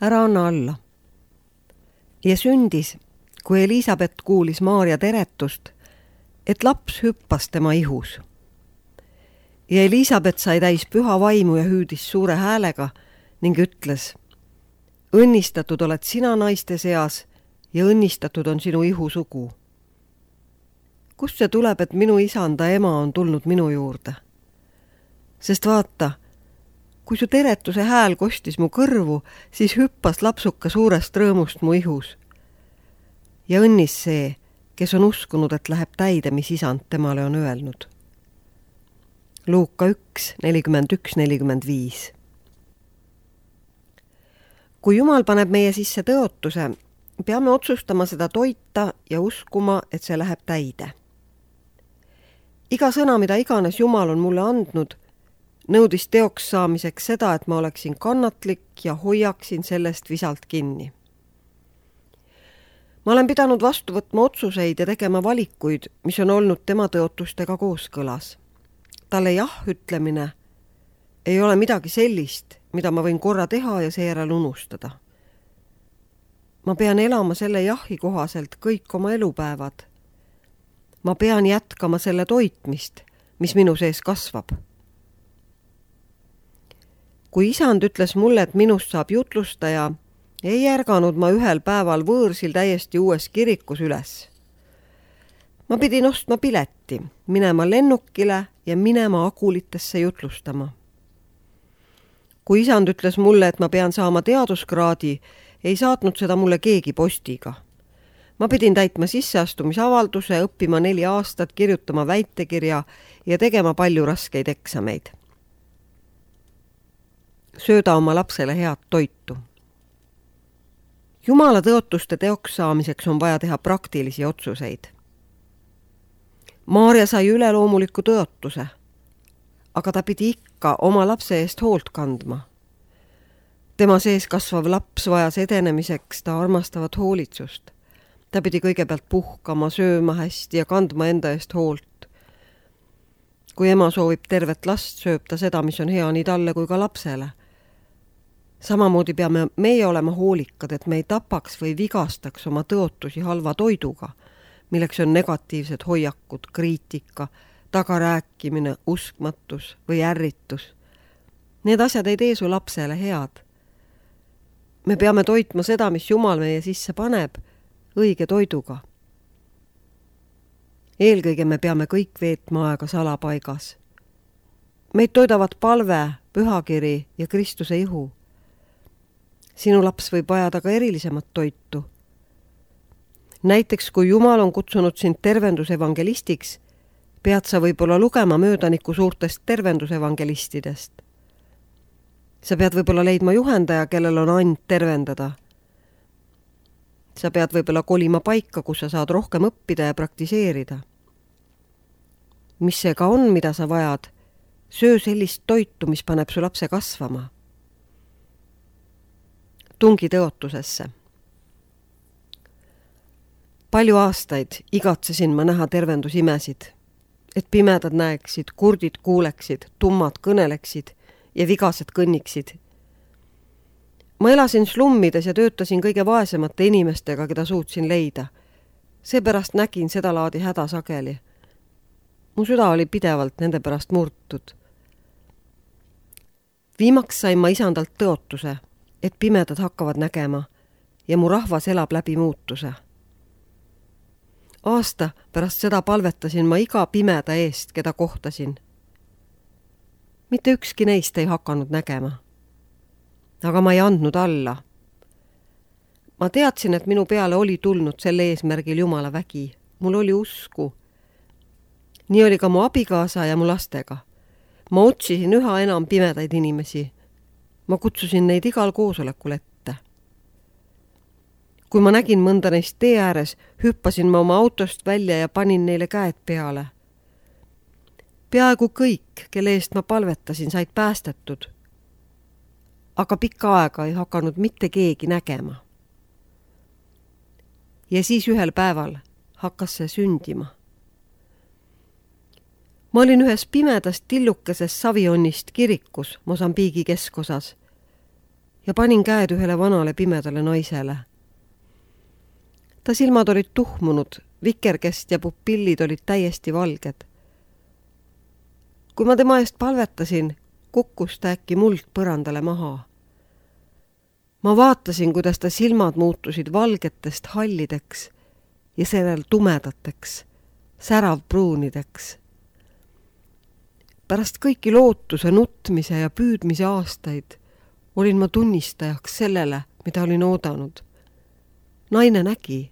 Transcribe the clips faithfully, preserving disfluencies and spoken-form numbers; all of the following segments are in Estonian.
ära anna alla. Ja sündis, kui Elisabeth kuulis Maarja teretust, et laps hüppas tema ihus. Ja Elisabeth sai täis püha vaimu ja hüüdis suure häälega ning ütles: õnnistatud oled sina naiste seas ja õnnistatud on sinu ihu sugu. Kust see tuleb, et minu isanda ema on tulnud minu juurde? Sest vaata, kui su teretuse hääl kostis mu kõrvu, siis hüppas lapsuka suurest rõõmust mu ihus. Ja õnnis see, kes on uskunud, et läheb täide, mis isand temale on öelnud. Luuka üks, nelikümmend üks, nelikümmend viis. Kui Jumal paneb meie sisse tõotuse, peame otsustama seda toita ja uskuma, et see läheb täide. Iga sõna, mida iganes Jumal on mulle andnud, nõudis teoks saamiseks seda, et ma oleksin kannatlik ja hoiaksin sellest visalt kinni. Ma olen pidanud vastu võtma otsuseid ja tegema valikuid, mis on olnud tema tõotustega kooskõlas. Talle jah ütlemine ei ole midagi sellist, mida ma võin korra teha ja seejärel unustada. Ma pean elama selle jahi kohaselt kõik oma elupäevad. Ma pean jätkama selle toitmist, mis minu sees kasvab. Kui isand ütles mulle, et minust saab jutlustaja, ei ärganud ma ühel päeval võõrsil täiesti uues kirikus üles. Ma pidin ostma pileti, minema lennukile ja minema Agulitesse jutlustama. Kui isand ütles mulle, et ma pean saama teaduskraadi, ei saatnud seda mulle keegi postiga. Ma pidin täitma sisseastumisavalduse, õppima neli aastat, kirjutama väitekirja ja tegema palju raskeid eksameid. Sööda oma lapsele head toitu. Jumala tõotuste teoks saamiseks on vaja teha praktilisi otsuseid. Maarja sai üleloomuliku tõotuse, aga ta pidi ikka oma lapse eest hoolt kandma. Tema sees kasvav laps vajas edenemiseks ta armastavat hoolitsust. Ta pidi kõigepealt puhkama, sööma hästi ja kandma enda eest hoolt. Kui ema soovib tervet last, sööb ta seda, mis on hea nii talle kui ka lapsele. Samamoodi peame meie olema hoolikad, et me ei tapaks või vigastaks oma tõotusi halva toiduga, milleks on negatiivsed hoiakud, kriitika, tagarääkimine, uskmatus või ärritus. Need asjad ei tee su lapsele head. Me peame toitma seda, mis Jumal meie sisse paneb, õige toiduga. Eelkõige me peame kõik veetma aega salapaigas. Meid toidavad palve, pühakiri ja Kristuse ihu. Sinu laps võib vajada ka erilisemat toitu. Näiteks, kui Jumal on kutsunud sind tervendusevangelistiks, pead sa võib-olla lugema möödaniku suurtest tervendusevangelistidest. Sa pead võib-olla leidma juhendaja, kellel on and tervendada. Sa pead võib-olla kolima paika, kus sa saad rohkem õppida ja praktiseerida. Mis see ka on, mida sa vajad? Söö sellist toitu, mis paneb su lapse kasvama. Tungi tõotusesse. Palju aastaid igatsesin ma näha tervendusimesid, et pimedad näeksid, kurdid kuuleksid, tummad kõneleksid ja vigased kõnniksid. Ma elasin slummides ja töötasin kõige vaesemate inimestega, keda suutsin leida. Seepärast nägin seda laadi häda sageli. Mu süda oli pidevalt nende pärast murtud. Viimaks sain ma isandalt tõotuse, et pimedad hakkavad nägema ja mu rahvas elab läbi muutuse. Aasta pärast seda palvetasin ma iga pimeda eest, keda kohtasin. Mitte ükski neist ei hakanud nägema. Aga ma ei andnud alla. Ma teadsin, et minu peale oli tulnud selle eesmärgil Jumala vägi. Mul oli usku. Nii oli ka mu abikaasa ja mu lastega. Ma otsisin üha enam pimedaid inimesi. Ma kutsusin neid igal koosolekul ette. Kui ma nägin mõnda neist tee ääres, hüppasin ma oma autost välja ja panin neile käed peale. Peaaegu kõik, kelle eest ma palvetasin, said päästetud. Aga pikka aega ei hakanud mitte keegi nägema. Ja siis ühel päeval hakkas see sündima. Ma olin ühes pimedast tillukeses Savionnist kirikus Mosambiigi keskosas ja panin käed ühele vanale pimedale naisele. Ta silmad olid tuhmunud, vikerkest ja pupillid olid täiesti valged. Kui ma tema eest palvetasin, kukkus ta äkki muld põrandale maha. Ma vaatasin, kuidas ta silmad muutusid valgetest hallideks ja sellel tumedateks, säravpruunideks. Pärast kõiki lootuse, nutmise ja püüdmise aastaid olin ma tunnistajaks sellele, mida olin oodanud. Naine nägi.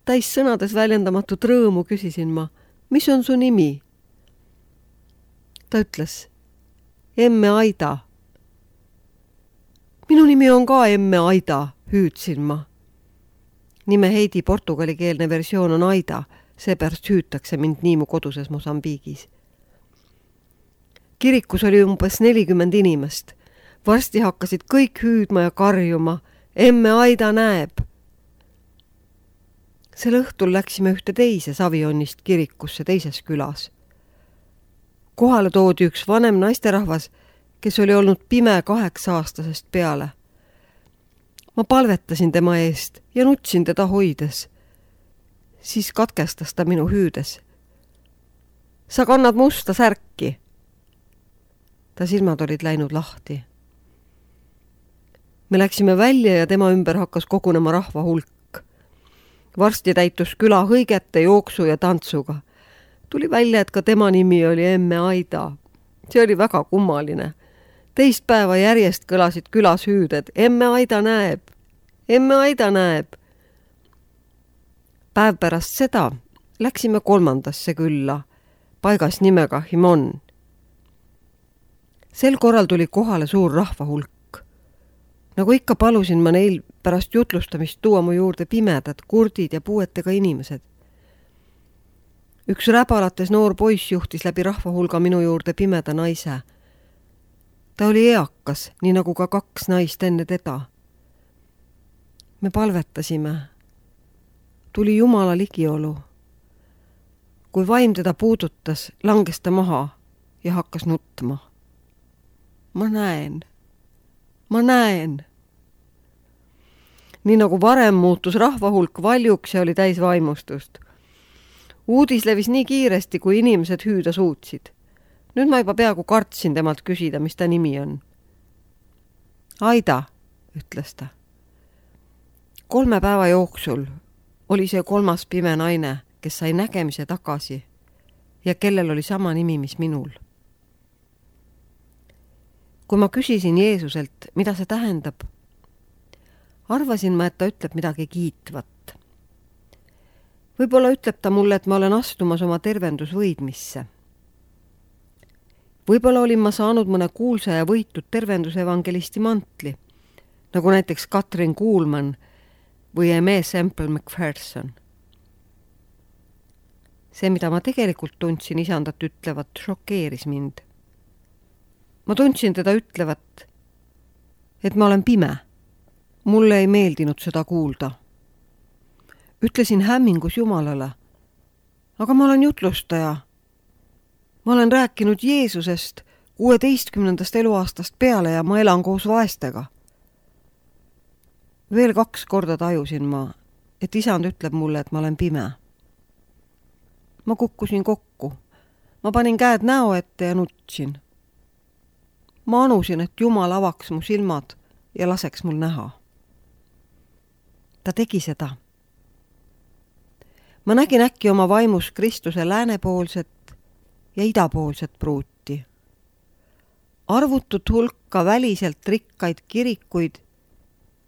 Täis sõnades väljendamatut rõõmu küsisin ma, mis on su nimi? Ta ütles, emme Aida. Minu nimi on ka emme Aida, hüüdsin ma. Nime Heidi portugalikeelne versioon on Aida, seepärast hüütakse mind nii mu koduses Mosambiigis. Kirikus oli umbes nelikümmend inimest. Varsti hakkasid kõik hüüdma ja karjuma. Emme Aida näeb. Sel õhtul läksime ühte teise Savionnist kirikusse teises külas. Kohale toodi üks vanem naisterahvas, kes oli olnud pime kaheksa aastasest peale. Ma palvetasin tema eest ja nutsin teda hoides. Siis katkestas ta minu hüüdes. Sa kannad musta särki. Ta silmad olid läinud lahti. Me läksime välja ja tema ümber hakkas kogunema rahva hulk. Varsti täitus küla hõigete, jooksu ja tantsuga. Tuli välja, et ka tema nimi oli emme Aida. See oli väga kummaline. Teist päeva järjest kõlasid külas hüüded. Emme Aida näeb. Emme Aida näeb. Päev pärast seda läksime kolmandasse külla, paigas nimega Himon. Sel korral tuli kohale suur rahva hulk. Nagu ikka palusin ma neil pärast jutlustamist tuua mu juurde pimedad, kurdid ja puuetega inimesed. Üks räbalates noor poiss juhtis läbi rahva hulga minu juurde pimeda naise. Ta oli eakas, nii nagu ka kaks naist enne teda. Me palvetasime. Tuli Jumala ligiolu. Kui vaim teda puudutas, langes ta maha ja hakkas nutma. Ma näen. Ma näen. Nii nagu varem muutus rahvahulk valjuks ja oli täis vaimustust. Uudis levis nii kiiresti, kui inimesed hüüda suutsid. Nüüd ma juba peaaegu kartsin temalt küsida, mis ta nimi on. Aida, ütles ta. Kolme päeva jooksul oli see kolmas pime naine, kes sai nägemise tagasi ja kellel oli sama nimi, mis minul. Kui ma küsisin Jeesuselt, mida see tähendab, arvasin ma, et ta ütleb midagi kiitvat. Võib-olla ütleb ta mulle, et ma olen astumas oma tervendusvõidmisse. Võib-olla olin ma saanud mõne kuulsa ja võitud tervendusevangelisti mantli, nagu näiteks Katrin Kuulman või Eme Semple McPherson. See, mida ma tegelikult tundsin isandat ütlevat, šokeeris mind. Ma tundsin teda ütlevat, et ma olen pime. Mulle ei meeldinud seda kuulda. Ütlesin hämmingus Jumalale, aga ma olen jutlustaja. Ma olen rääkinud Jeesusest kuueteistkümnendast eluaastast peale ja ma elan koos vaestega. Veel kaks korda tajusin ma, et isand ütleb mulle, et ma olen pime. Ma kukkusin kokku. Ma panin käed näo ette ja nutsin. Ma anusin, et Jumal avaks mu silmad ja laseks mul näha. Ta tegi seda. Ma nägin äkki oma vaimus Kristuse läänepoolset ja idapoolset pruuti. Arvutut hulka väliselt rikkaid kirikuid,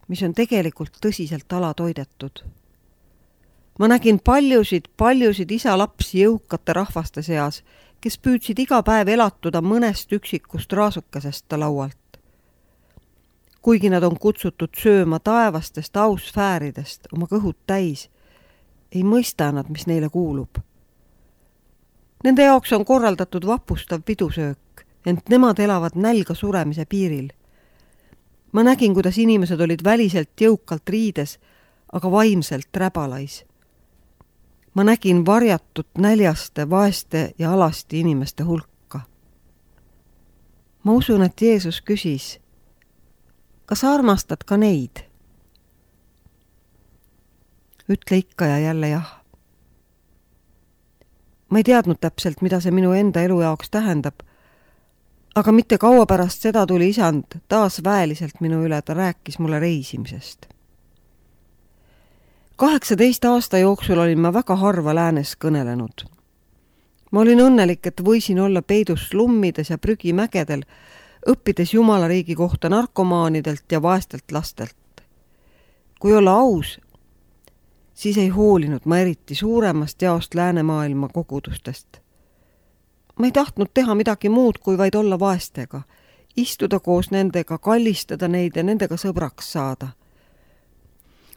mis on tegelikult tõsiselt alatoidetud. Ma nägin paljusid, paljusid isa-lapsi jõukate rahvaste seas, kes püüdsid iga päev elatuda mõnest üksikust raasukesest laualt. Kuigi nad on kutsutud sööma taevastest ausfääridest oma kõhud täis, ei mõista nad, mis neile kuulub. Nende jaoks on korraldatud vapustav pidusöök, ent nemad elavad nälga suremise piiril. Ma nägin, kuidas inimesed olid väliselt jõukalt riides, aga vaimselt räbalais. Ma nägin varjatut näljaste, vaeste ja alasti inimeste hulka. Ma usun, et Jeesus küsis, kas sa armastad ka neid? Ütle ikka ja jälle jah. Ma ei teadnud täpselt, mida see minu enda elu jaoks tähendab, aga mitte kaua pärast seda tuli isand taas väeliselt minu üle, ta rääkis mulle reisimisest. kaheksateist aasta jooksul olin ma väga harva läänes kõnelenud. Ma olin õnnelik, et võisin olla peidus slummides ja prügimägedel, õppides Jumala riigi kohta narkomaanidelt ja vaestelt lastelt. Kui olla aus, siis ei hoolinud ma eriti suuremast jaost läänemaailma kogudustest. Ma ei tahtnud teha midagi muud, kui vaid olla vaestega, istuda koos nendega, kallistada neid ja nendega sõbraks saada.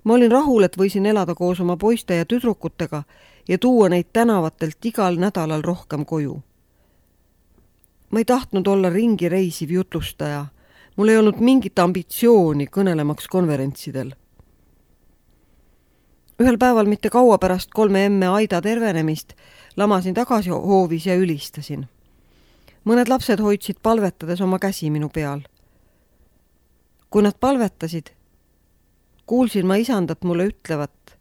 Ma olin rahul, et võisin elada koos oma poiste ja tüdrukutega ja tuua neid tänavatelt igal nädalal rohkem koju. Ma ei tahtnud olla ringi reisiv jutlustaja. Mul ei olnud mingit ambitsiooni kõnelemaks konverentsidel. Ühel päeval mitte kaua pärast kolme emme Aida tervenemist lamasin tagasi hoovis ja ülistasin. Mõned lapsed hoidsid palvetades oma käsi minu peal. Kui nad palvetasid, kuulsin ma isandat mulle ütlevat,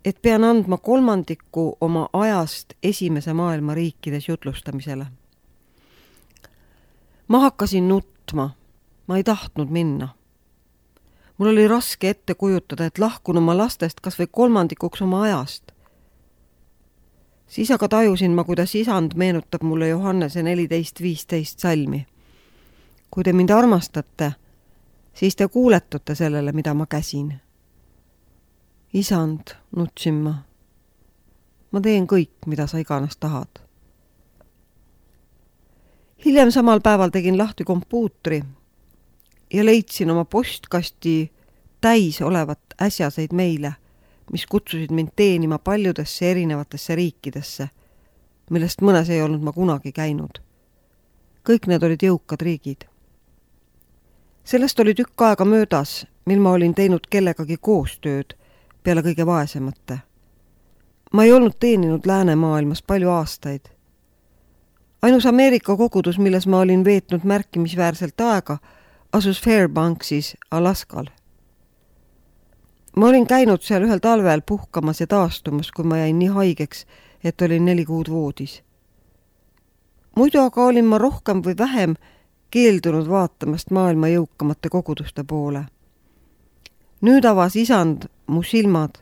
et pean andma kolmandiku oma ajast esimese maailma riikides jutlustamisele. Ma hakkasin nutma, ma ei tahtnud minna. Mul oli raske ette kujutada, et lahkun oma lastest kas või kolmandikuks oma ajast. Siis aga tajusin ma, kuidas isand meenutab mulle Johannese neliteist viisteist salmi. Kui te mind armastate, siis te kuuletute sellele, mida ma käsin. Isand, nutsin ma. Ma teen kõik, mida sa iganes tahad. Hiljem samal päeval tegin lahti kompuutri ja leidsin oma postkasti täis olevat äsjaseid meile, mis kutsusid mind teenima paljudesse erinevatesse riikidesse, millest mõnes ei olnud ma kunagi käinud. Kõik need olid jõukad riigid. Sellest oli tükk aega möödas, mil ma olin teinud kellegagi koostööd peale kõige vaesemate. Ma ei olnud teeninud läänemaailmas palju aastaid. Ainus Ameerika kogudus, milles ma olin veetnud märkimisväärselt aega, asus Fairbanksis Alaskal. Ma olin käinud seal ühel talvel puhkamas ja taastumas, kui ma jäin nii haigeks, et olin neli kuud voodis. Muidu aga olin ma rohkem või vähem keeldunud vaatamast maailma jõukamate koguduste poole. Nüüd avas isand mu silmad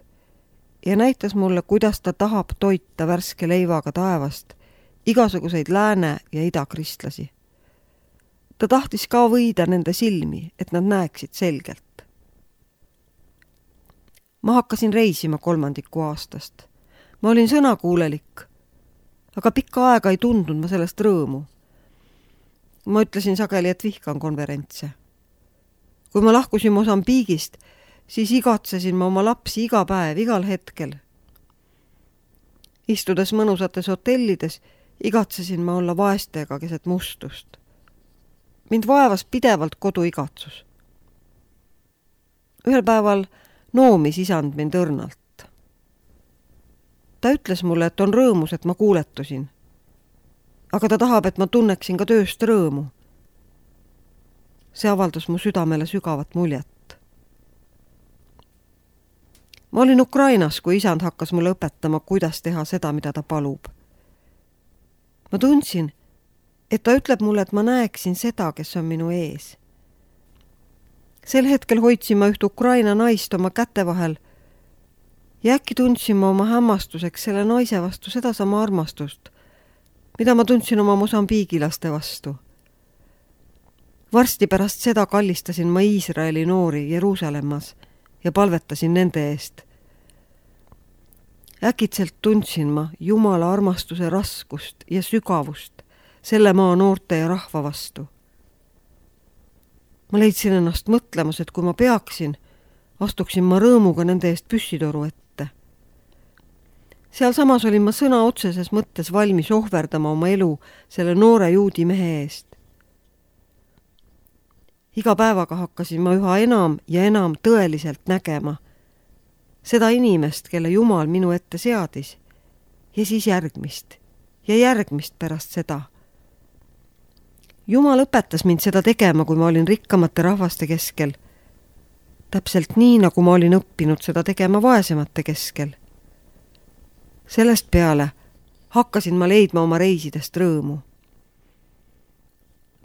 ja näitas mulle, kuidas ta tahab toita värske leivaga taevast igasuguseid lääne- ja idakristlasi. Ta tahtis ka võida nende silmi, et nad näeksid selgelt. Ma hakkasin reisima kolmandiku aastast. Ma olin sõnakuulelik, aga pikka aega ei tundnud ma sellest rõõmu. Ma ütlesin sageli, et vihkan konverentse. Kui ma lahkusin Mosambiigist, siis igatsesin ma oma lapsi iga päev, igal hetkel. Istudes mõnusates hotellides, igatsesin ma olla vaestega keset mustust. Mind vaevas pidevalt koduigatsus. Ühel päeval noomis isand mind õrnalt. Ta ütles mulle, et on rõõmus, et ma kuuletusin. Aga ta tahab, et ma tunneksin ka tööst rõõmu. See avaldas mu südamele sügavat muljet. Ma olin Ukrainas, kui isand hakkas mulle õpetama, kuidas teha seda, mida ta palub. Ma tundsin, et ta ütleb mulle, et ma näeksin seda, kes on minu ees. Sel hetkel hoidsin ma üht Ukraina naist oma käte vahel ja äkki tundsin ma oma hämmastuseks selle naise vastu sedasama armastust, mida ma tundsin oma mosambiigilaste vastu. Varsti pärast seda kallistasin ma Iisraeli noori Jeruusalemmas ja palvetasin nende eest. Äkitselt tundsin ma Jumala armastuse raskust ja sügavust selle maa noorte ja rahva vastu. Ma leidsin ennast mõtlemas, et kui ma peaksin, astuksin ma rõõmuga nende eest püssitoru ette. Seal samas olin ma sõna otseses mõttes valmis ohverdama oma elu selle noore juudi mehe eest. Iga päevaga hakkasin ma üha enam ja enam tõeliselt nägema seda inimest, kelle Jumal minu ette seadis, ja siis järgmist ja järgmist pärast seda. Jumal õpetas mind seda tegema, kui ma olin rikkamate rahvaste keskel täpselt nii, nagu ma olin õppinud seda tegema vaesemate keskel. Sellest peale hakkasin ma leidma oma reisidest rõõmu.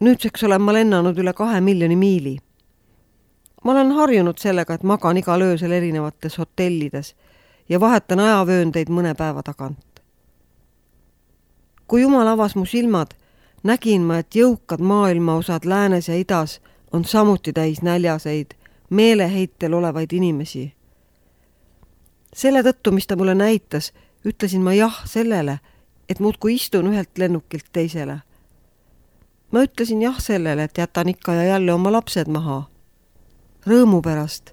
Nüüdseks olen ma lennanud üle kahe miljoni miili. Ma olen harjunud sellega, et magan igal öösel erinevates hotellides ja vahetan ajavööndeid mõne päeva tagant. Kui Jumal avas mu silmad, nägin ma, et jõukad maailmaosad läänes ja idas on samuti täis näljaseid, meeleheitel olevaid inimesi. Selle tõttu, mis ta mulle näitas, ütlesin ma jah sellele, et muudkui istun ühelt lennukilt teisele. Ma ütlesin jah sellele, et jätan ikka ja jälle oma lapsed maha. Rõõmu pärast,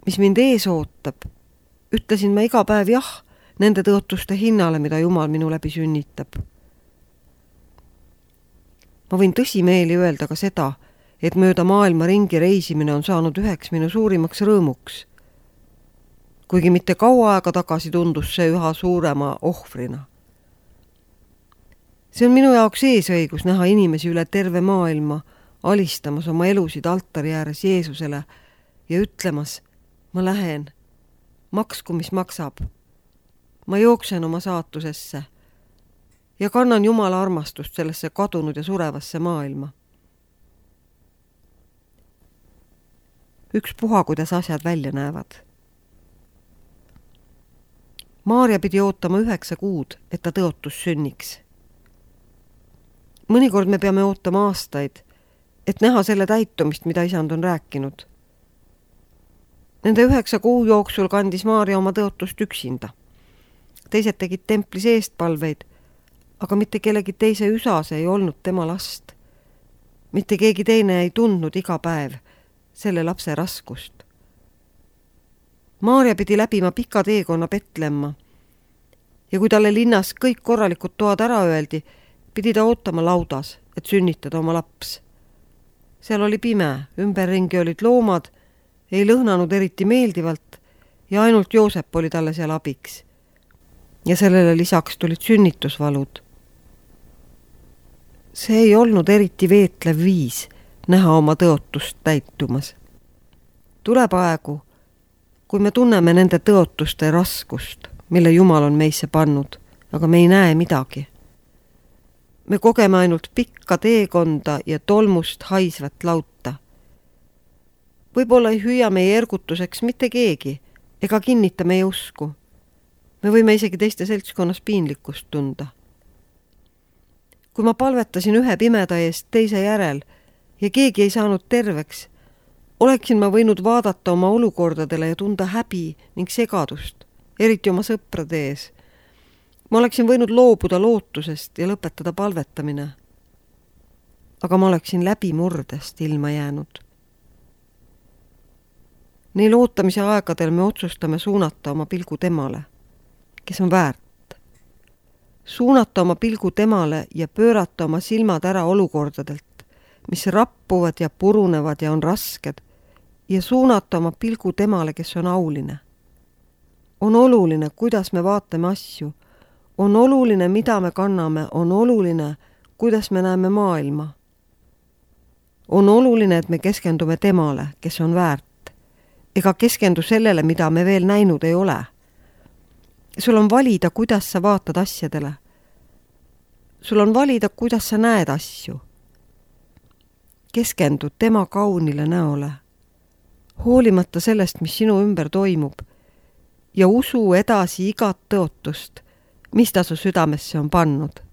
mis mind ees ootab, ütlesin ma iga päev jah nende tõotuste hinnale, mida Jumal minu läbi sünnitab. Ma võin tõsimeeli öelda ka seda, et mööda maailma ringi reisimine on saanud üheks minu suurimaks rõõmuks. Kuigi mitte kaua aega tagasi tundus see üha suurema ohvrina. See on minu jaoks eesõigus näha inimesi üle terve maailma alistamas oma elusid altari ääres Jeesusele ja ütlemas, ma lähen, maksku mis maksab. Ma jooksen oma saatusesse ja kannan Jumala armastust sellesse kadunud ja surevasse maailma. Üks puha, kuidas asjad välja näevad. Maarja pidi ootama üheksa kuud, et ta tõotus sünniks. Mõnikord me peame ootama aastaid, et näha selle täitumist, mida isand on rääkinud. Nende üheksa kuu jooksul kandis Maarja oma tõotust üksinda. Teised tegid templis eestpalveid, aga mitte kellegi teise üsas ei olnud tema last. Mitte keegi teine ei tundnud iga päev selle lapse raskust. Maarja pidi läbima pika teekonna Betlemma ja kui talle linnas kõik korralikud toad ära öeldi, pidi ta ootama laudas, et sünnitada oma laps. Seal oli pime, ümberringi olid loomad, ei lõhnanud eriti meeldivalt ja ainult Joosep oli talle seal abiks. Ja sellele lisaks tulid sünnitusvalud. See ei olnud eriti veetlev viis näha oma tõotust täitumas. Tuleb aegu, kui me tunneme nende tõotuste raskust, mille Jumal on meisse pannud, aga me ei näe midagi. Me kogeme ainult pikka teekonda ja tolmust haisvat lauta. Võib-olla ei hüüa meie ergutuseks mitte keegi ega kinnita meie usku. Me võime isegi teiste seltskonnas piinlikkust tunda. Kui ma palvetasin ühe pimeda eest teise järel ja keegi ei saanud terveks, oleksin ma võinud vaadata oma olukordadele ja tunda häbi ning segadust, eriti oma sõprade ees. Ma oleksin võinud loobuda lootusest ja lõpetada palvetamine. Aga ma oleksin läbimurdest ilma jäänud. Neil ootamise aegadel me otsustame suunata oma pilgu temale, kes on väärt. Suunata oma pilgu temale ja pöörata oma silmad ära olukordadelt, mis rappuvad ja purunevad ja on rasked, ja suunata oma pilgu temale, kes on auline. On oluline, kuidas me vaatame asju. On oluline, mida me kanname. On oluline, kuidas me näeme maailma. On oluline, et me keskendume temale, kes on väärt, ega keskendu sellele, mida me veel näinud ei ole. Sul on valida, kuidas sa vaatad asjadele. Sul on valida, kuidas sa näed asju. Keskendu tema kaunile näole, hoolimata sellest, mis sinu ümber toimub, ja usu edasi igat tõotust, mis ta su südamesse on pannud.